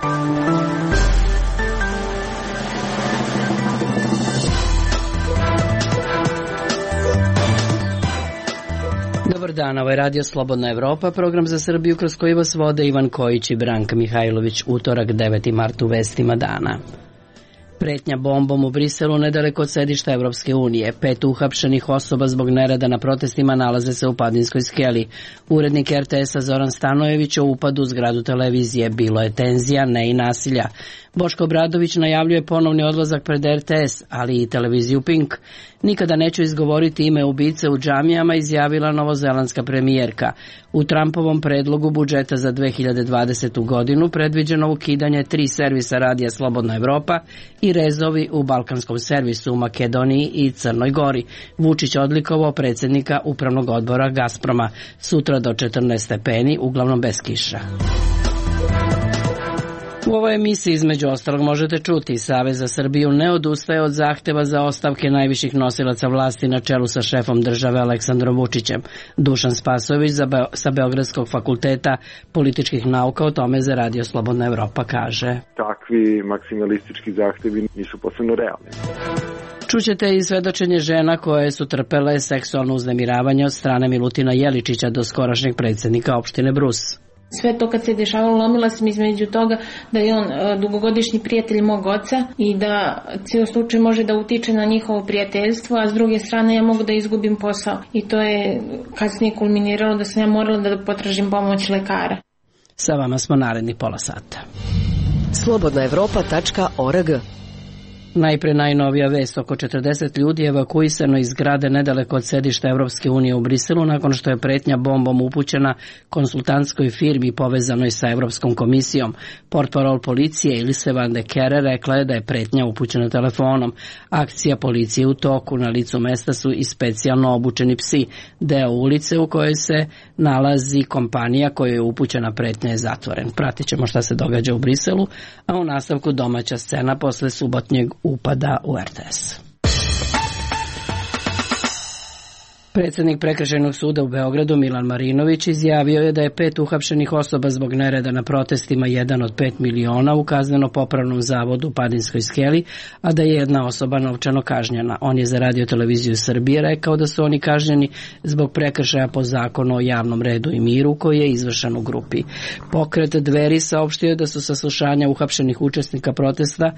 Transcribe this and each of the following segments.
Dobar dan, ovo je Radio Slobodna Evropa, program za Srbiju kroz koji vas vode Ivan Kojić i Branka Mihajlović. Utorak, 9. mart, u vestima dana. Pretnja bombom u Briselu nedaleko od sedišta Evropske unije. 5 uhapšenih osoba zbog nereda na protestima nalaze se u Padinskoj skeli. Urednik RTS-a Zoran Stanojević o upadu u zgradu televizije. Bilo je tenzija, ne i nasilja. Boško Obradović najavljuje ponovni odlazak pred RTS, ali i televiziju Pink. Nikada neću izgovoriti ime ubice u džamijama, izjavila novozelandska premijerka. U Trumpovom predlogu budžeta za 2020. godinu predviđeno ukidanje 3 servisa radija Slobodna Evropa i rezovi u balkanskom servisu u Makedoniji i Crnoj Gori. Vučić odlikovao predsjednika upravnog odbora Gazproma. Sutra do 14 stepeni, uglavnom bez kiša. U ovoj emisiji između ostalog možete čuti: Savez za Srbiju ne odustaje od zahteva za ostavke najviših nosilaca vlasti na čelu sa šefom države Aleksandrom Vučićem. Dušan Spasojević sa Beogradskog fakulteta političkih nauka o tome za Radio Slobodna Evropa kaže: takvi maksimalistički zahtevi nisu posebno realni. Čućete i svedočenje žena koje su trpele seksualno uznemiravanje od strane Milutina Jeličića, do skorašnjeg predsjednika opštine Brus. Sve to kad se dešavalo, lomila sam između toga da je on dugogodišnji prijatelj mog oca i da cijel slučaj može da utiče na njihovo prijateljstvo, a s druge strane ja mogu da izgubim posao. I to je kasnije kulminiralo da sam ja morala da potražim pomoć lekara. Sa vama smo narednih pola sata. slobodnaevropa.org. Najpre najnovija vest: oko 40 ljudi evakuisano iz zgrade nedaleko od sedišta Evropske unije u Briselu nakon što je pretnja bombom upućena konsultantskoj firmi povezanoj sa Evropskom komisijom. Portparol policije Ilse van de Kere rekla je da je pretnja upućena telefonom. Akcija policije u toku, na licu mesta su i specijalno obučeni psi. Deo ulice u kojoj se nalazi kompanija kojoj je upućena pretnja je zatvoren. Pratit ćemo šta se događa u Briselu, a u nastavku domaća scena posle subotnjeg upada u RTS. Predsjednik Prekršajnog suda u Beogradu Milan Marinović izjavio je da je 5 uhapšenih osoba zbog nereda na protestima, 1 od 5 miliona, u kazneno-popravnom zavodu u Padinskoj skeli, a da je 1 osoba novčano kažnjena. On je za Radio televiziju Srbije rekao da su oni kažnjeni zbog prekršaja po zakonu o javnom redu i miru koji je izvršen u grupi. Pokret Dveri saopštio da su saslušanja uhapšenih učesnika protesta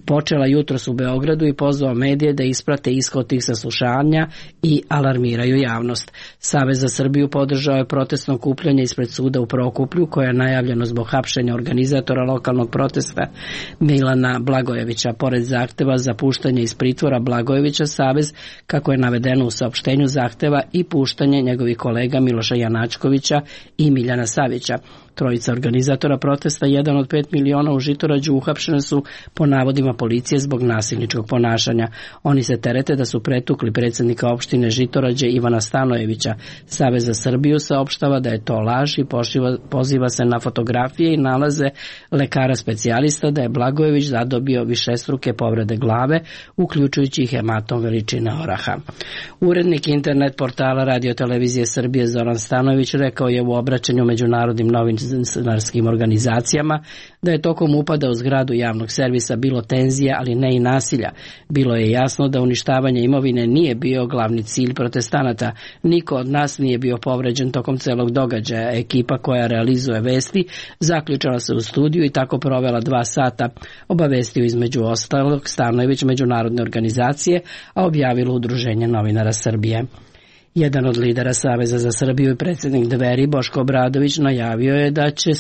počela jutros u Beogradu i pozvao medije da isprate ishod tih saslušanja i alarmiraju javnost. Savez za Srbiju podržao je protestno okupljanje ispred suda u Prokuplju, koje je najavljeno zbog hapšenja organizatora lokalnog protesta Milana Blagojevića. Pored zahteva za puštanje iz pritvora Blagojevića, Savez, kako je navedeno u saopštenju, zahteva i puštanje njegovih kolega Miloša Janačkovića i Miljana Savića. Trojica organizatora protesta, 1 od 5 miliona u Žitorađu, uhapšene su po navodima policije zbog nasilničkog ponašanja. Oni se terete da su pretukli predsjednika opštine Žitorađe Ivana Stanojevića. Savez za Srbiju saopštava da je to laž i poziva se na fotografije i nalaze lekara specijalista da je Blagojević zadobio višestruke povrede glave, uključujući hematom veličine oraha. Urednik internet portala Radio televizije Srbije Zoran Stanojević rekao je u obraćanju međunarodnim novinarskim organizacijama da je tokom upada u zgradu javnog servisa bilo tenzija, ali ne i nasilja. Bilo je jasno da uništavanje imovine nije bio glavni cilj protestanata. Niko od nas nije bio povređen tokom celog događaja. Ekipa koja realizuje vesti zaključala se u studiju i tako provela 2 sata, obavestio između ostalog Stanojević međunarodne organizacije, a objavilo Udruženje novinara Srbije. Jedan od lidera Saveza za Srbiju i predsjednik Dveri Boško Obradović najavio je da će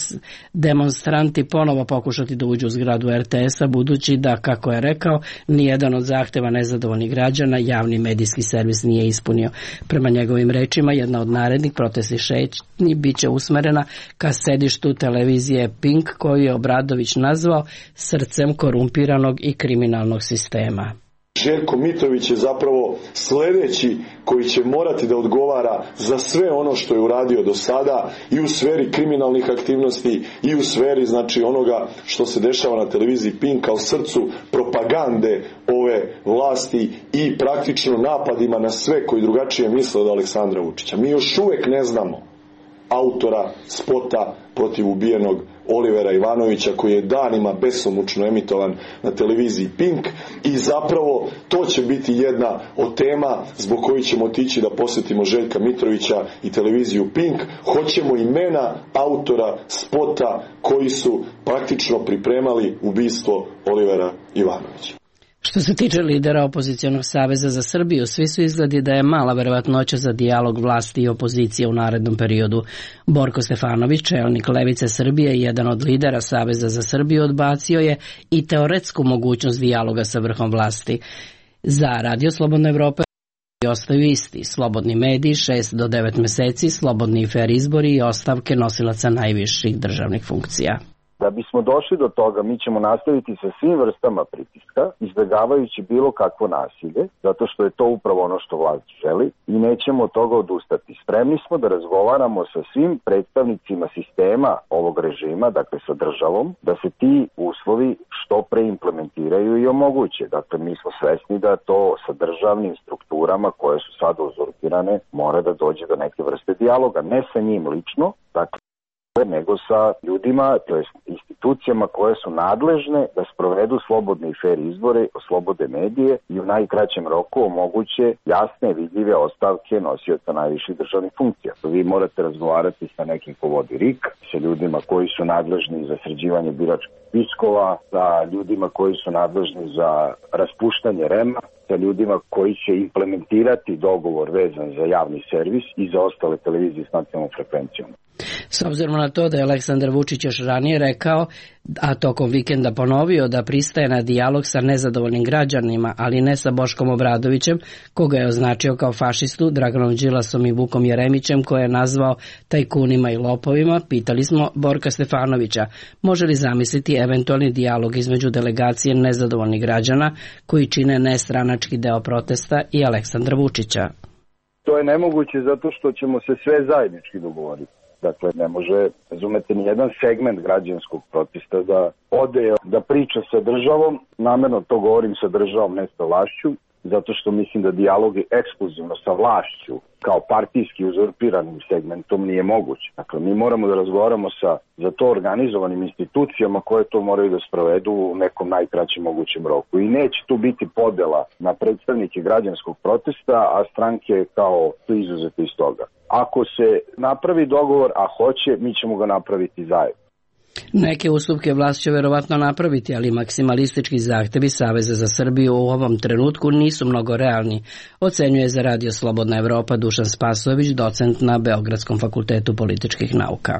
demonstranti ponovo pokušati da uđu u zgradu RTS-a, budući da, kako je rekao, nijedan od zahteva nezadovoljnih građana javni medijski servis nije ispunio. Prema njegovim rečima, jedna od narednih protestnih šetnji biće usmerena ka sedištu televizije Pink, koju je Obradović nazvao srcem korumpiranog i kriminalnog sistema. Željko Mitrović je zapravo sljedeći koji će morati da odgovara za sve ono što je uradio do sada i u sferi kriminalnih aktivnosti i u sferi onoga što se dešava na televiziji Pink kao srcu propagande ove vlasti i praktično napadima na sve koji drugačije misle od Aleksandra Vučića. Mi još uvijek ne znamo autora spota protiv ubijenog Olivera Ivanovića, koji je danima besomučno emitovan na televiziji Pink, i zapravo to će biti jedna od tema zbog kojih ćemo otići da posjetimo Željka Mitrovića i televiziju Pink. Hoćemo imena autora spota koji su praktično pripremali ubistvo Olivera Ivanovića. Što se tiče lidera opozicionog saveza za Srbiju, svi su izgledi da je mala verovatnoća za dijalog vlasti i opozicije u narednom periodu. Borko Stefanović, čelnik Levice Srbije i jedan od lidera Saveza za Srbiju, odbacio je i teoretsku mogućnost dijaloga sa vrhom vlasti. Za Radio Slobodna Evropa ostaju isti: slobodni mediji, 6 do 9 meseci, slobodni i fer izbori i ostavke nosilaca najviših državnih funkcija. Da bismo došli do toga, mi ćemo nastaviti sa svim vrstama pritiska, izbjegavajući bilo kakvo nasilje, zato što je to upravo ono što vlast želi, i nećemo od toga odustati. Spremni smo da razgovaramo sa svim predstavnicima sistema ovog režima, dakle sa državom, da se ti uslovi što pre implementiraju i omoguće. Dakle, mi smo svesni da to sa državnim strukturama koje su sada uzurpirane mora da dođe do neke vrste dijaloga, ne sa njim lično, dakle, nego sa ljudima, to jest institucijama koje su nadležne da sprovedu slobodne i fer izbore, oslobode medije i u najkraćem roku omoguće jasne, vidljive ostavke nosioca najviših državnih funkcija. Vi morate razgovarati sa nekim ko vodi RIK, sa ljudima koji su nadležni za sređivanje biračkih spiskova, sa ljudima koji su nadležni za raspuštanje REM-a, sa ljudima koji će implementirati dogovor vezan za javni servis i za ostale televizije s nacionalnom frekvencijom. S obzirom na to da je Aleksandar Vučić još ranije rekao, a tokom vikenda ponovio, da pristaje na dijalog sa nezadovoljnim građanima, ali ne sa Boškom Obradovićem, koga je označio kao fašistu, Draganom Đilasom i Vukom Jeremićem, koje je nazvao tajkunima i lopovima, pitali smo Borka Stefanovića može li zamisliti eventualni dijalog između delegacije nezadovoljnih građana koji čine nestranački deo protesta i Aleksandra Vučića. To je nemoguće zato što ćemo se sve zajednički dogovoriti. Dakle, ne može, razumete, ni jedan segment građanskog protesta da ode, da priča sa državom. Namerno to govorim sa državom, ne sa vlašću, zato što mislim da dijalog je ekskluzivno sa vlašću kao partijski uzurpiranim segmentom nije moguć. Dakle, mi moramo da razgovaramo sa za to organizovanim institucijama koje to moraju da sprovedu u nekom najkraćem mogućem roku. I neće tu biti podela na predstavnike građanskog protesta, a stranke kao su izuzete iz toga. Ako se napravi dogovor, a hoće, mi ćemo ga napraviti zajedno. Neke ustupke vlast će verovatno napraviti, ali maksimalistički zahtevi Saveza za Srbiju u ovom trenutku nisu mnogo realni, ocenjuje za Radio Slobodna Evropa Dušan Spasojević, docent na Beogradskom fakultetu političkih nauka.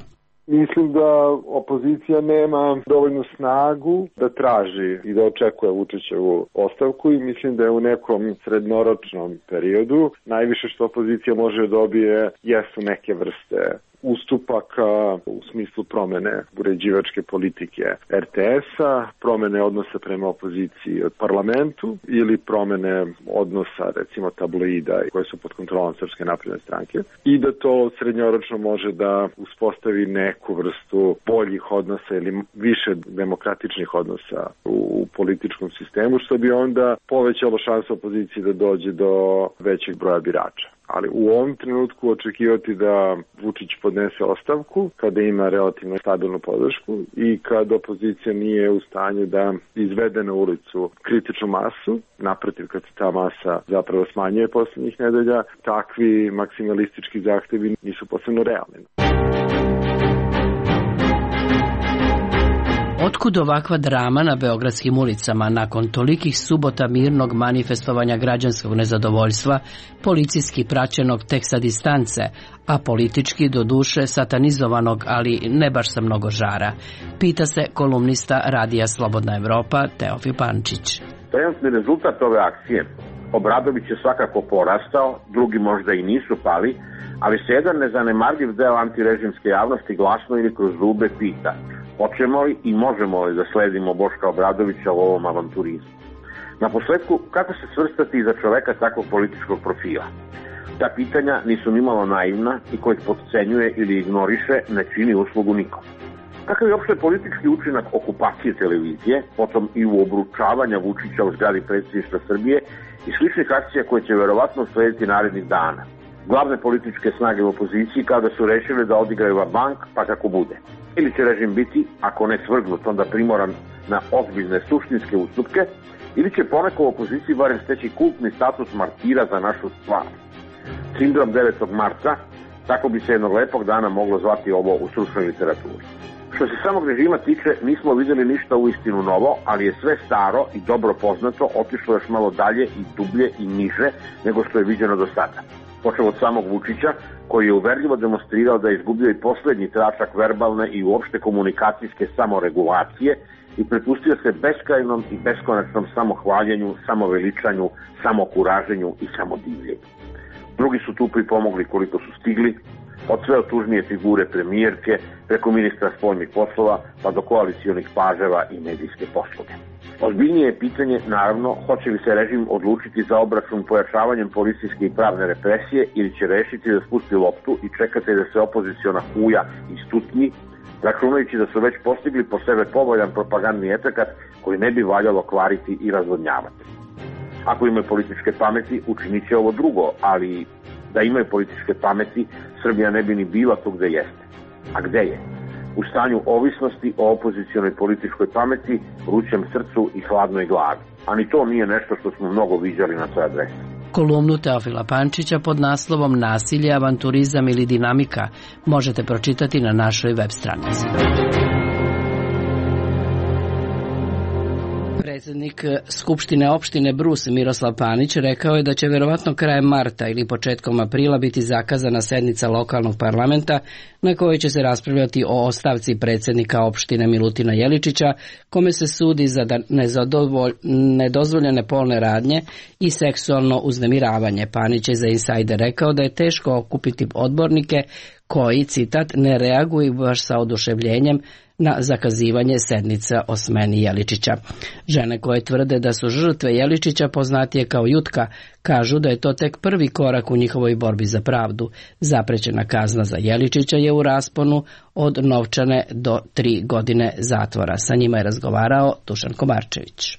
Mislim da opozicija nema dovoljnu snagu da traži i da očekuje Vučićevu ostavku i mislim da je u nekom srednoročnom periodu najviše što opozicija može dobije jesu neke vrste ustupaka u smislu promene uređivačke politike RTS-a, promene odnosa prema opoziciji od parlamentu ili promene odnosa recimo tabloida koje su pod kontrolom Srpske napredne stranke i da to srednjoročno može da uspostavi neku vrstu boljih odnosa ili više demokratičnih odnosa u političkom sistemu, što bi onda povećalo šansu opoziciji da dođe do većeg broja birača. Ali u ovom trenutku očekivati da Vučić podnese ostavku kada ima relativno stabilnu podršku i kad opozicija nije u stanju da izvede na ulicu kritičnu masu, naprotiv kad se ta masa zapravo smanjuje poslednjih nedelja, takvi maksimalistički zahtevi nisu posebno realni. Otkud ovakva drama na beogradskim ulicama nakon tolikih subota mirnog manifestovanja građanskog nezadovoljstva, policijski praćenog tek sa distance, a politički do duše satanizovanog, ali ne baš sa mnogo žara? Pita se kolumnista Radija Slobodna Evropa Teofil Pančić. Trenutni rezultat ove akcije, Obradović je svakako porastao, drugi možda i nisu pali, ali se jedan nezanemarljiv deo antirežimske javnosti glasno ili kroz zube pita: hoćemo li i možemo li da sledimo Boška Obradovića u ovom avanturizmu? Na posledku, kako se svrstati iza čoveka takvog političkog profila? Ta pitanja nisu nimalo naivna i ko ih potcenjuje ili ignoriše ne čini uslugu nikom. Kakav je opšte politički učinak okupacije televizije, potom i u obručavanja Vučića u zgradi predsjedništva Srbije i sličnih akcija koje će verovatno slediti narednih dana? glavne političke snage u opoziciji kada su rešili da odigraju bank pa kako bude. Ili će režim biti, ako ne svrgnut, onda primoran na ozbiljne suštinske ustupke, ili će poneko u opoziciji barem steći kultni status martira za našu stvar. Sindrom 9. marta, tako bi se jednog lepog dana moglo zvati ovo u stručnoj literaturi. Što se samog režima tiče, nismo videli ništa uistinu novo, ali je sve staro i dobro poznato otišlo još malo dalje i dublje i niže nego što je viđeno do sada. Počeo od samog Vučića, koji je uverljivo demonstrirao da je izgubio i poslednji tračak verbalne i uopšte komunikacijske samoregulacije i prepustio se beskrajnom i beskonačnom samohvaljenju, samoveličanju, samokuraženju i samodivljenju. Drugi su tu pripomogli koliko su stigli, od sve otužnije figure premijerke, preko ministra spoljnih poslova, pa do koalicionih paževa i medijske posluge. Ozbiljnije je pitanje, naravno, hoće li se režim odlučiti za obračun pojačavanjem policijske i pravne represije ili će rešiti da spusti loptu i čekati da se opoziciona huja istutnji, računajući da su već postigli po sebe povoljan propagandni efekat koji ne bi valjalo kvariti i razvodnjavati. Ako imaju političke pameti, učinit će ovo drugo, ali da imaju političke pameti, Srbija ne bi ni bila tu gde jeste. A gde je? U stanju ovisnosti o opozicionoj političkoj pameti, vrućem srcu i hladnoj glavi. A ni to nije nešto što smo mnogo viđali na toj adresi. Kolumnu Teofila Pančića pod naslovom Nasilje, avanturizam ili dinamika možete pročitati na našoj web stranici. Predsjednik Skupštine opštine Brus Miroslav Panić rekao je da će verovatno krajem marta ili početkom aprila biti zakazana sednica lokalnog parlamenta na kojoj će se raspravljati o ostavci predsjednika opštine Milutina Jeličića, kome se sudi za nedozvoljene polne radnje i seksualno uznemiravanje. Panić je za Insajder rekao da je teško okupiti odbornike koji, citat, ne reaguju baš sa oduševljenjem na zakazivanje sednica o smeni Jeličića. Žene koje tvrde da su žrtve Jeličića, poznatije kao Jutka, kažu da je to tek prvi korak u njihovoj borbi za pravdu. Zaprećena kazna za Jeličića je u rasponu od novčane do 3 godine zatvora. Sa njima je razgovarao Dušan Komarčević.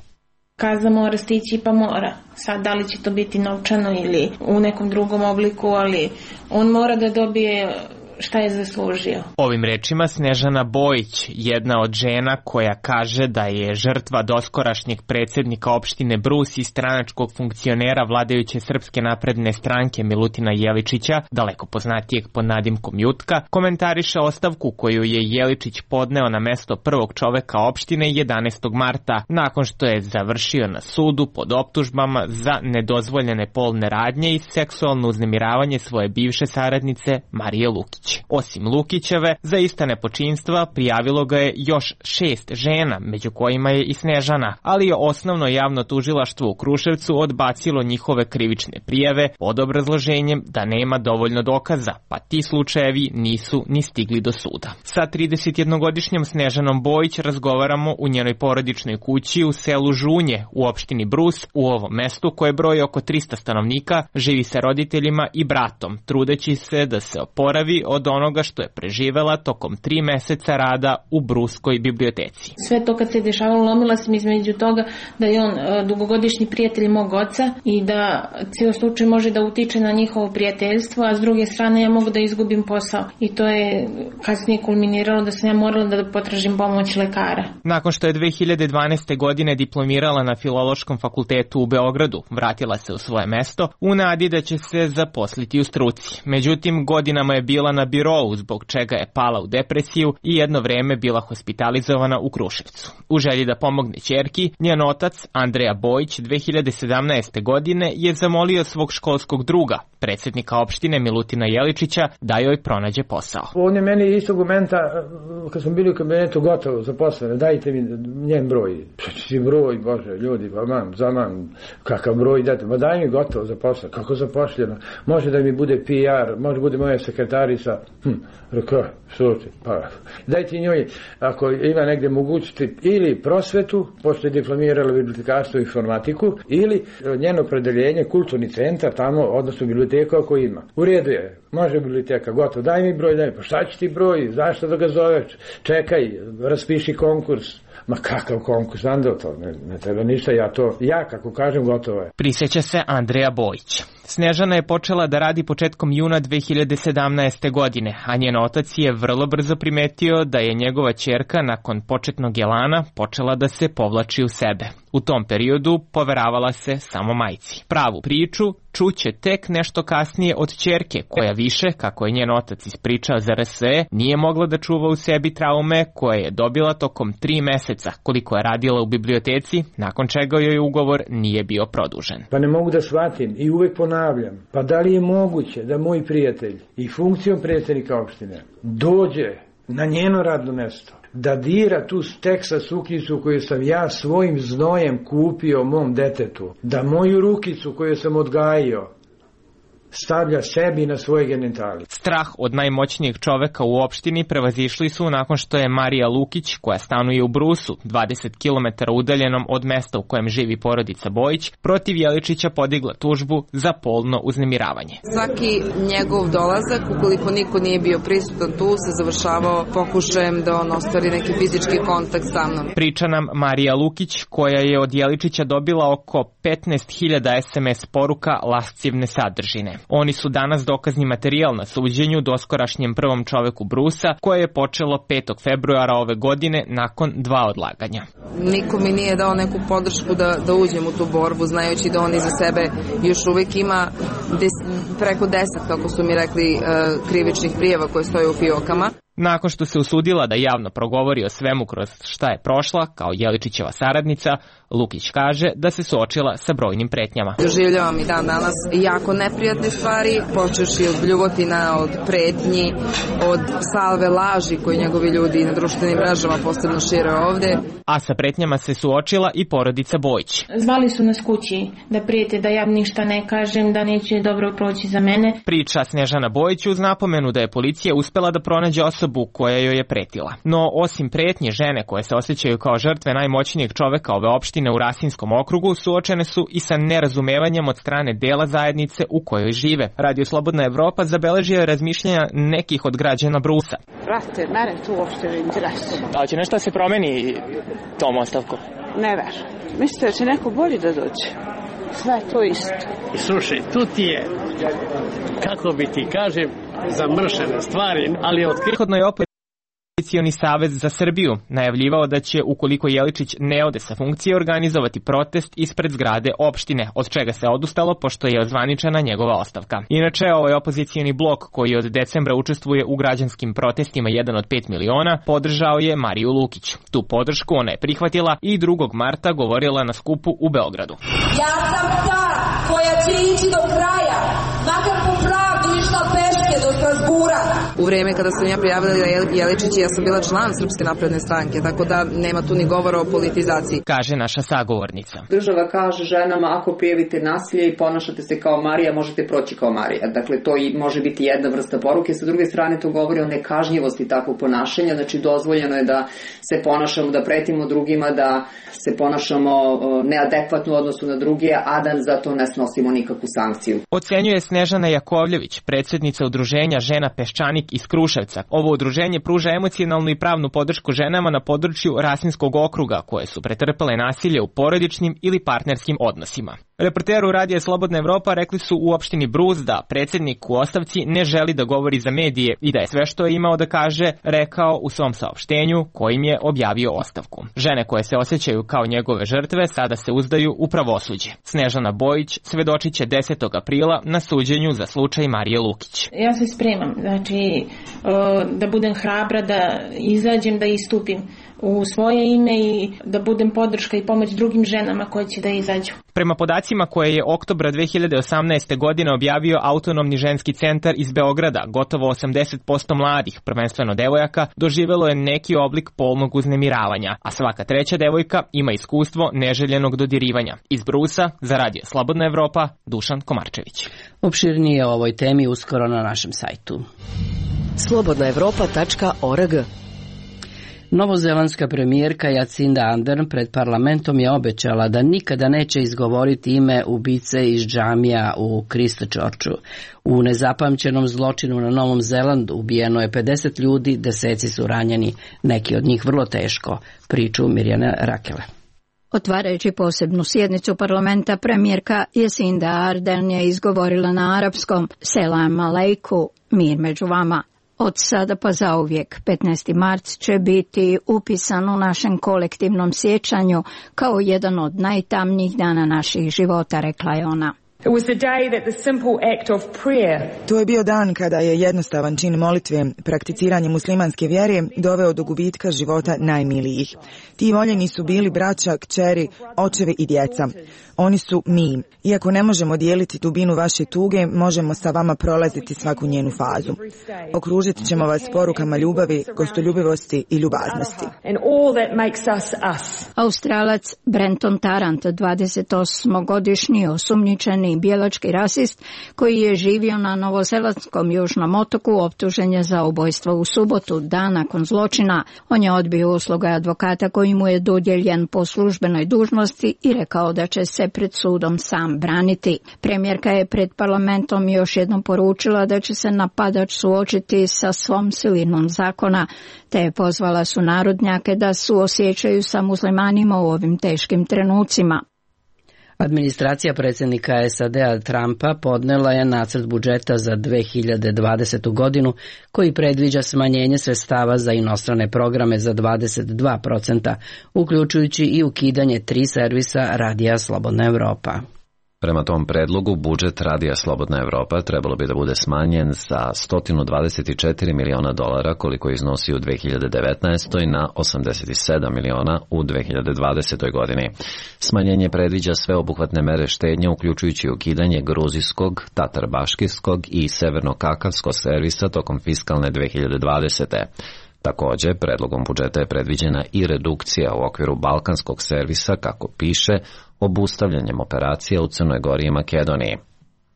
Kazna mora stići pa mora. Sad, da li će to biti novčano ili u nekom drugom obliku, ali on mora da dobije šta je zaslužio. Ovim rečima Snežana Bojić, jedna od žena koja kaže da je žrtva doskorašnjeg predsjednika opštine Brus i stranačkog funkcionera vladajuće Srpske napredne stranke Milutina Jeličića, daleko poznatijeg pod nadimkom Jutka, komentariše ostavku koju je Jeličić podneo na mesto prvog čoveka opštine 11. marta, nakon što je završio na sudu pod optužbama za nedozvoljene polne radnje i seksualno uznemiravanje svoje bivše saradnice Marije Lukić. Osim Lukićeve, za ista nepočinstva prijavilo ga je još 6 žena, među kojima je i Snežana, ali je osnovno javno tužilaštvo u Kruševcu odbacilo njihove krivične prijave pod obrazloženjem da nema dovoljno dokaza, pa ti slučajevi nisu ni stigli do suda. Sa 31-godišnjom Snežanom Bojić razgovaramo u njenoj porodičnoj kući u selu Žunje u opštini Brus. U ovom mestu, koje broji oko 300 stanovnika, živi sa roditeljima i bratom, trudeći se da se oporavi od onoga što je preživela tokom 3 meseca rada u Bruskoj biblioteci. Sve to kad se dešavalo, lomila sam između toga da je on dugogodišnji prijatelj mog oca i da cijel slučaj može da utiče na njihovo prijateljstvo, a s druge strane ja mogu da izgubim posao. I to je kasnije kulminiralo da sam ja morala da potražim pomoć lekara. Nakon što je 2012. godine diplomirala na Filološkom fakultetu u Beogradu, vratila se u svoje mesto u nadi da će se zaposliti u struci. Međutim, godinama je bila na birou, zbog čega je pala u depresiju i jedno vreme bila hospitalizovana u Kruševcu. U želji da pomogne ćerki, njen otac, Andreja Bojić, 2017. godine je zamolio svog školskog druga, predsjednika opštine Milutina Jeličića, da joj pronađe posao. On je meni istog momenta, kad smo bili u kabinetu, gotovo zaposlene, dajte mi njen broj. Ti broj, Bože, ljudi, kakav broj date, ma daj mi gotovo zaposleno, kako zapošljeno, može da mi bude PR, može bude moja sekretarica, rekao, slučaj, pa dajte njoj, ako ima negde mogućnosti, ili prosvetu, pošto je diplomirala bibliotekarstvo i informatiku, ili njeno opredeljenje, kulturni centar, tamo, odnosno biblioteka ako ima. U redu je, može biblioteka, gotovo, daj mi broj, pa šta će ti broj, zašto da ga zoveš, čekaj, raspiši konkurs. Ma kakav konkurs, Andro, to ne treba ništa, ja kako kažem, gotovo je. Prisjeća se Andreja Bojić. Snežana je počela da radi početkom juna 2017. godine, a njen otac je vrlo brzo primetio da je njegova ćerka nakon početnog elana počela da se povlači u sebe. U tom periodu poveravala se samo majci. Pravu priču čuće tek nešto kasnije od ćerke, koja više, kako je njen otac ispričao za RSE, nije mogla da čuva u sebi traume koje je dobila tokom 3 meseca, koliko je radila u biblioteci, nakon čega joj ugovor nije bio produžen. Pa ne mogu da shvatim i uvek ponavljam, pa da li je moguće da moj prijatelj i funkcijom predsjednika opštine dođe na njeno radno mesto, da dira tu teksa suknjicu koju sam ja svojim znojem kupio mom detetu, da moju rukicu koju sam odgajio stavlja sebi na svoje genitali. Strah od najmoćnijeg čoveka u opštini prevazišli su nakon što je Marija Lukić, koja stanuje u Brusu, 20 km udaljenom od mesta u kojem živi porodica Bojić, protiv Jeličića podigla tužbu za polno uznemiravanje. Svaki njegov dolazak, ukoliko niko nije bio prisutan tu, se završavao pokušajem da on ostvari neki fizički kontakt sa mnom. Priča nam Marija Lukić, koja je od Jeličića dobila oko 15.000 SMS poruka lascivne sadržine. Oni su danas dokazni materijal na suđenju doskorašnjem prvom čoveku Brusa, koje je počelo 5. februara ove godine nakon 2 odlaganja. Niko mi nije dao neku podršku da uđem u tu borbu, znajući da on iza sebe još uvijek ima preko 10, kako su mi rekli, krivičnih prijava koje stoje u fijokama. Nakon što se usudila da javno progovori o svemu kroz šta je prošla, kao Jeličićeva saradnica, Lukić kaže da se suočila sa brojnim pretnjama. Doživljavam i dan danas jako neprijatne stvari, počevši od bljuvotina, od pretnji, od salve laži koje njegovi ljudi na društvenim mrežama posebno šire ovde. A sa pretnjama se suočila i porodica Bojić. Zvali su nas kući da prijete da ja ništa ne kažem, da neće dobro proći za mene. Priča Snežana Bojić uz napomenu da je policija uspela da pronađe osobu koja joj je pretila. No, osim pretnje, žene koje se osjećaju kao žrtve najmoćnijeg čoveka ove opštine u Rasinskom okrugu suočene su i sa nerazumevanjem od strane dela zajednice u kojoj žive. Radio Slobodna Evropa zabeležio je razmišljanja nekih od građana Brusa. Brate, mene tu uopšte ne interesuje. A će nešto se promeni tom ostavkom? Ne verujem. Mislite da će neko bolji da dođe? Sve je to isto. I slušaj, tu ti je, kako bi ti kažem, zamršene stvari, ali prethodno je Opozicioni savez za Srbiju najavljivao da će, ukoliko Jeličić ne ode sa funkcije, organizovati protest ispred zgrade opštine, od čega se odustalo pošto je ozvaničena njegova ostavka. Inače, ovaj opozicioni blok, koji od decembra učestvuje u građanskim protestima 1 od 5 miliona, podržao je Mariju Lukić. Tu podršku ona je prihvatila i 2. marta govorila na skupu u Beogradu. Ja sam ta koja će ići do kraja, makar po pravdu išla peške do Strasbura. U vreme kada sam ja prijavila Jeličića, ja sam bila član Srpske napredne stranke, tako da nema tu ni govora o politizaciji. Kaže naša sagovornica. Država kaže ženama, ako prijavite nasilje i ponašate se kao Marija, možete proći kao Marija. Dakle, to i može biti jedna vrsta poruke. Sa druge strane, to govori o nekažnjivosti takvog ponašanja. Znači, dozvoljeno je da se ponašamo, da pretimo drugima, da se ponašamo neadekvatno u odnosu na druge, a da za to ne snosimo nikakvu sankciju. Ocenjuje Snežana Jakovljević, predsjednica udruženja Žena Peščanik iz Kruševca. Ovo udruženje pruža emocionalnu i pravnu podršku ženama na području Rasinskog okruga koje su pretrpele nasilje u porodičnim ili partnerskim odnosima. Reporteru Radija Slobodna Evropa rekli su u opštini Brus da predsjednik u ostavci ne želi da govori za medije i da je sve što je imao da kaže rekao u svom saopštenju kojim je objavio ostavku. Žene koje se osjećaju kao njegove žrtve sada se uzdaju u pravosuđe. Snežana Bojić svedočit će 10. aprila na suđenju za slučaj Marije Lukić. Ja se spremam, znači da budem hrabra, da izađem, da istupim u svoje ime i da budem podrška i pomoć drugim ženama koje će da izađu. Prema podacima koje je oktobra 2018. godine objavio Autonomni ženski centar iz Beograda, gotovo 80% mladih, prvenstveno devojaka, doživelo je neki oblik polnog uznemiravanja, a svaka 3. devojka ima iskustvo neželjenog dodirivanja. Iz Brusa, za Radio Slobodna Evropa, Dušan Komarčević. Opširnije o ovoj temi uskoro na našem sajtu. slobodnaevropa.org. Novozelandska premijerka Jacinda Ardern pred parlamentom je obećala da nikada neće izgovoriti ime ubice iz džamija u Christchurchu. U nezapamćenom zločinu na Novom Zelandu ubijeno je 50 ljudi, deseci su ranjeni, neki od njih vrlo teško. Priču Mirjana Rakele. Otvarajući posebnu sjednicu parlamenta, premijerka Jacinda Ardern je izgovorila na arapskom Selam aleiku, mir među vama. Od sada pa zauvijek, 15. marc će biti upisan u našem kolektivnom sjećanju kao jedan od najtamnijih dana naših života, rekla je ona. To je bio dan kada je jednostavan čin molitve, prakticiranje muslimanske vjere, doveo do gubitka života najmilijih. Ti voljeni su bili braća, kćeri, očevi i djeca. Oni su mi. Iako ne možemo dijeliti dubinu vaše tuge, možemo sa vama prolaziti svaku njenu fazu. Okružit ćemo vas porukama ljubavi, gostoljubivosti i ljubaznosti. Australac Brenton Tarrant, 28-godišnji osumnjičeni bijelački rasist koji je živio na novozelandskom južnom otoku, optužen je za ubojstvo u subotu, dan nakon zločina. On je odbio usluge advokata koji mu je dodijeljen po službenoj dužnosti i rekao da će se pred sudom sam braniti. Premijerka je pred parlamentom još jednom poručila da će se napadač suočiti sa svom silinom zakona, te je pozvala sunarodnjake da suosjećaju sa muslimanima u ovim teškim trenucima. Administracija predsjednika SAD-a Trumpa podnela je nacrt budžeta za 2020. godinu koji predviđa smanjenje sredstava za inostrane programe za 22%, uključujući i ukidanje 3 servisa Radija Slobodna Evropa. Prema tom predlogu, budžet Radija Slobodna Evropa trebalo bi da bude smanjen sa $124 miliona koliko iznosi u 2019. na 87 miliona u 2020. godini. Smanjenje predviđa sveobuhvatne mere štednje, uključujući ukidanje gruzijskog, tatarbaškijskog i severno-kakavskog servisa tokom fiskalne 2020. Također, predlogom budžeta je predviđena i redukcija u okviru balkanskog servisa, kako piše, obustavljanjem operacija u Crnoj Gori i Makedoniji.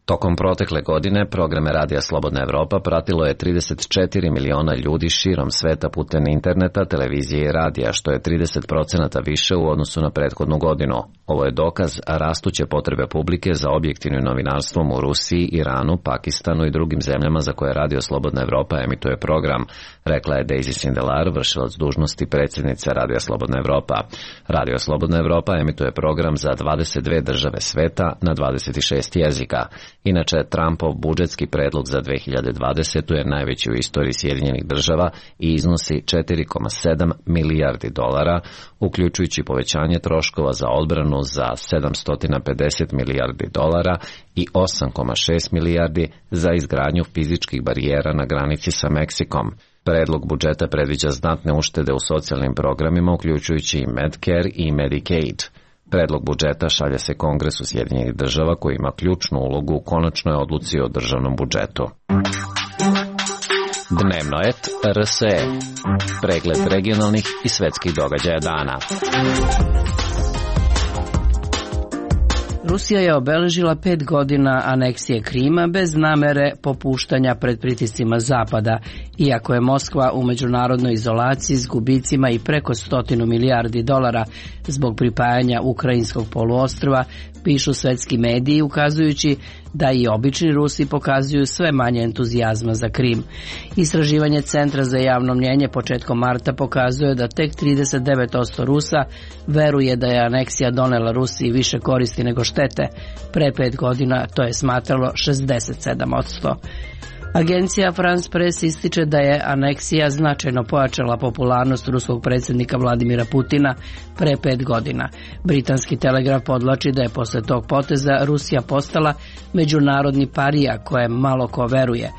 Tokom protekle godine programe Radija Slobodna Evropa pratilo je 34 miliona ljudi širom sveta putem interneta, televizije i radija, što je 30% više u odnosu na prethodnu godinu. Ovo je dokaz rastuće potrebe publike za objektivnim novinarstvom u Rusiji, Iranu, Pakistanu i drugim zemljama za koje Radio Slobodna Evropa emituje program, rekla je Daisy Sindelar, vršilac dužnosti predsjednice Radija Slobodna Evropa. Radio Slobodna Evropa emituje program za 22 države sveta na 26 jezika. Inače, Trumpov budžetski predlog za 2020. je najveći u istoriji Sjedinjenih država i iznosi $4,7 milijardi, uključujući povećanje troškova za odbranu za $750 milijardi i 8,6 milijardi za izgradnju fizičkih barijera na granici sa Meksikom. Predlog budžeta predviđa znatne uštede u socijalnim programima, uključujući i Medicare i Medicaid. Predlog budžeta šalje se Kongresu Sjedinjenih država koji ima ključnu ulogu u konačnoj odluci o državnom budžetu. Dnevnoet RSE. Pregled regionalnih i svetskih događaja dana. Rusija je obeležila 5 godina aneksije Krima bez namere popuštanja pred pritiscima Zapada, iako je Moskva u međunarodnoj izolaciji s gubicima i preko $100 milijardi zbog pripajanja ukrajinskog poluostrva, pišu svetski mediji, ukazujući da i obični Rusi pokazuju sve manje entuzijazma za Krim. Istraživanje Centra za javno mnjenje početkom marta pokazuje da tek 39% Rusa veruje da je aneksija donela Rusiji više koristi nego štete. Pre 5 godina to je smatralo 67%. Agencija France Press ističe da je aneksija značajno pojačala popularnost ruskog predsjednika Vladimira Putina pre 5 godina. Britanski Telegraf podvlači da je posle tog poteza Rusija postala međunarodni parija kojem malo ko veruje.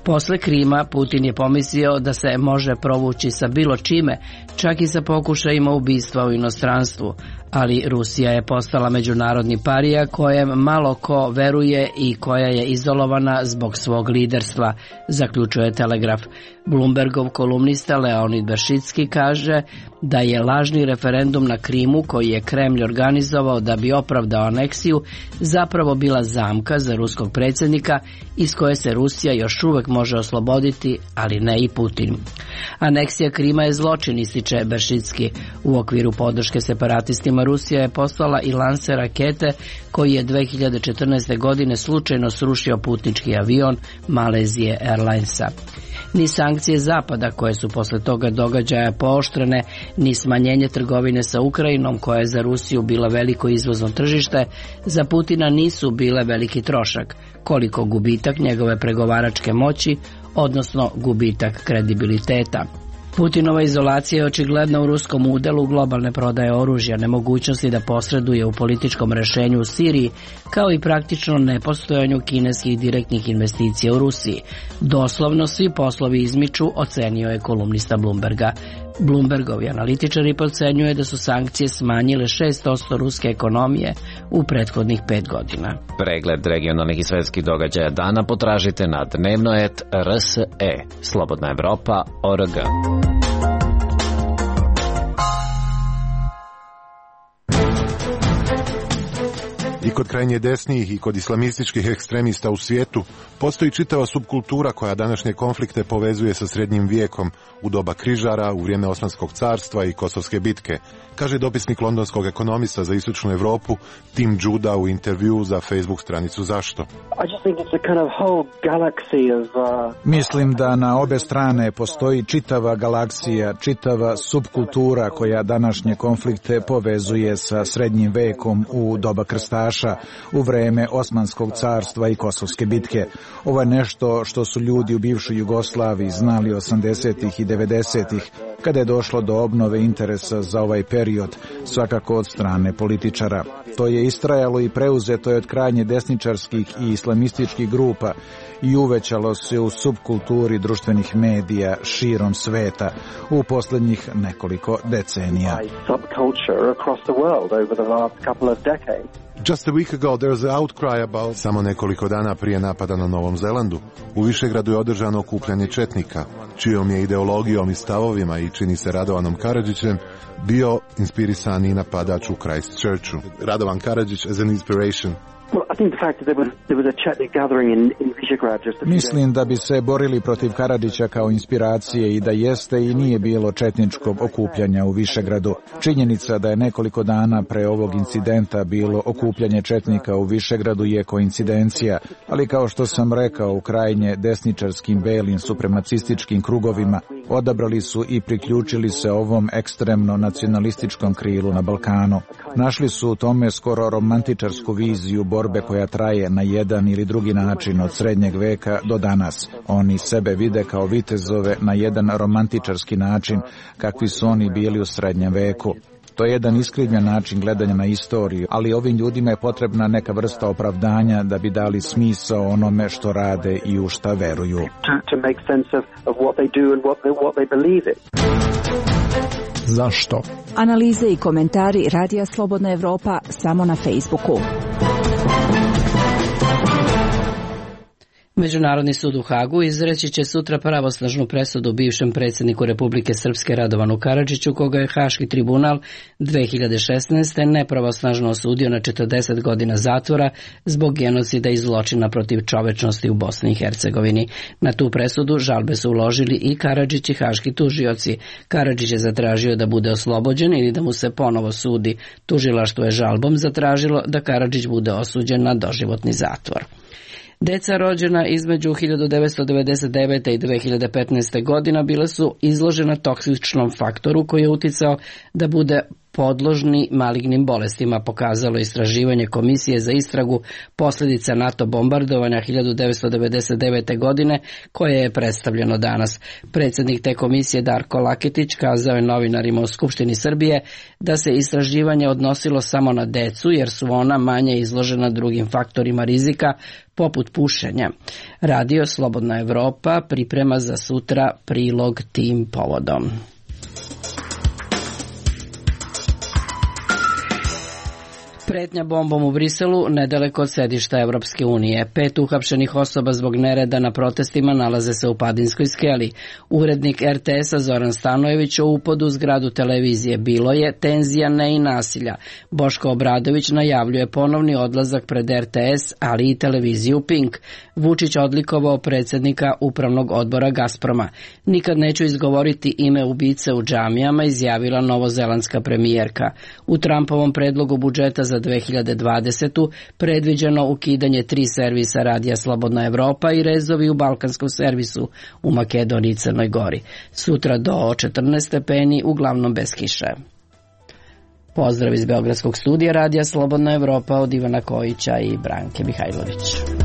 Posle Krima Putin je pomislio da se može provući sa bilo čime, čak i sa pokušajima ubistva u inostranstvu, ali Rusija je postala međunarodni parija kojem malo ko veruje i koja je izolovana zbog svog liderstva, zaključuje Telegraf. Bloombergov kolumnista Leonid Beršicki kaže da je lažni referendum na Krimu koji je Kremlj organizovao da bi opravdao aneksiju zapravo bila zamka za ruskog predsjednika iz koje se Rusija još uvek može osloboditi, ali ne i Putin. Aneksija Krima je zločin, ističe Beršicki. U okviru podrške separatistima Rusija je poslala i lanser rakete koji je 2014. godine slučajno srušio putnički avion Malezije Airlinesa. Ni sankcije Zapada koje su posle toga događaja pooštrene, ni smanjenje trgovine sa Ukrajinom koja je za Rusiju bila veliko izvozno tržište, za Putina nisu bile veliki trošak, koliko gubitak njegove pregovaračke moći, odnosno gubitak kredibiliteta. Putinova izolacija je očigledna u ruskom udelu globalne prodaje oružja, nemogućnosti da posreduje u političkom rešenju u Siriji, kao i praktično nepostojanju kineskih direktnih investicija u Rusiji. Doslovno svi poslovi izmiču, ocenio je kolumnista Bloomberga. Bloombergovi analitičari procenjuje da su sankcije smanjile 6% ruske ekonomije u prethodnih 5 godina. Pregled regionalnih i svetskih događaja dana potražite na dnevno.rs.e. Slobodna Evropa.org. I kod krajnje desnijih i kod islamističkih ekstremista u svijetu postoji čitava subkultura koja današnje konflikte povezuje sa srednjim vijekom, u doba križara, u vrijeme Osmanskog carstva i Kosovske bitke, kaže dopisnik londonskog ekonomista za istočnu Evropu Tim Juda u intervjuu za Facebook stranicu Zašto. Mislim da na obe strane postoji čitava galaksija, čitava subkultura koja današnje konflikte povezuje sa srednjim vekom u doba krstaša, u vreme Osmanskog carstva i Kosovske bitke. Ovo je nešto što su ljudi u bivšoj Jugoslaviji znali 80-ih i 90-ih, kada je došlo do obnove interesa za ovaj period, svakako od strane političara. To je istrajalo i preuzeto je od krajnje desničarskih i islamističkih grupa i uvećalo se u subkulturi društvenih medija širom sveta u posljednjih nekoliko decenija. Just a week ago there was an outcry about... Samo nekoliko dana prije napada na Novom Zelandu, u Višegradu je održano okupljanje četnika, čijom je ideologijom i stavovima i čini se Radovanom Karadžićem bio inspirisani napadač u Christchurchu. Radovan Karadžić as an inspiration. Mislim da bi se borili protiv Karadžića kao inspiracije i da jeste i nije bilo četničkog okupljanja u Višegradu. Činjenica da je nekoliko dana pre ovog incidenta bilo okupljanje četnika u Višegradu je koincidencija, ali kao što sam rekao, u krajnje desničarskim belim supremacističkim krugovima odabrali su i priključili se ovom ekstremno nacionalističkom krilu na Balkanu. Našli su u tome skoro romantičarsku viziju borbe koja traje na jedan ili drugi način od srednjeg veka do danas. Oni sebe vide kao vitezove na jedan romantičarski način, kakvi su oni bili u srednjem veku. To je jedan iskrivljen način gledanja na istoriju, ali ovim ljudima je potrebna neka vrsta opravdanja da bi dali smisao onome što rade i u šta veruju. Zašto? Analize i komentari Radija Slobodna Evropa samo na Facebooku. Međunarodni sud u Hagu izreći će sutra pravosnažnu presudu bivšem predsjedniku Republike Srpske Radovanu Karadžiću, koga je Haški tribunal 2016. nepravosnažno osudio na 40 godina zatvora zbog genocida i zločina protiv čovečnosti u Bosni i Hercegovini. Na tu presudu žalbe su uložili i Karadžić i haški tužioci. Karadžić je zatražio da bude oslobođen ili da mu se ponovo sudi. Tužilaštvo je žalbom zatražilo da Karadžić bude osuđen na doživotni zatvor. Deca rođena između 1999. i 2015. godina bila su izložena toksičnom faktoru koji je uticao da bude podložni malignim bolestima, pokazalo istraživanje Komisije za istragu posljedica NATO bombardovanja 1999. godine koje je predstavljeno danas. Predsjednik te komisije Darko Laketić kazao je novinarima u Skupštini Srbije da se istraživanje odnosilo samo na decu jer su ona manje izložena drugim faktorima rizika poput pušenja. Radio Slobodna Evropa priprema za sutra prilog tim povodom. Pretnja bombom u Briselu nedaleko od sedišta Evropske unije. 5 uhapšenih osoba zbog nereda na protestima nalaze se u Padinskoj skeli. Urednik RTS-a Zoran Stanojević o upodu u zgradu televizije bilo je tenzija, ne i nasilja. Boško Obradović najavljuje ponovni odlazak pred RTS, ali i televiziju Pink. Vučić odlikovao predsjednika upravnog odbora Gazproma. Nikad neću izgovoriti ime ubice u džamijama, izjavila novozelandska premijerka. U Trumpovom predlogu budžeta za 2020. predviđeno ukidanje 3 servisa Radija Slobodna Evropa i rezovi u balkanskom servisu u Makedoniji i Crnoj Gori. Sutra do 14 stepeni, uglavnom bez kiše. Pozdrav iz Beogradskog studija Radija Slobodna Evropa od Ivana Kojića i Branke Mihajlović.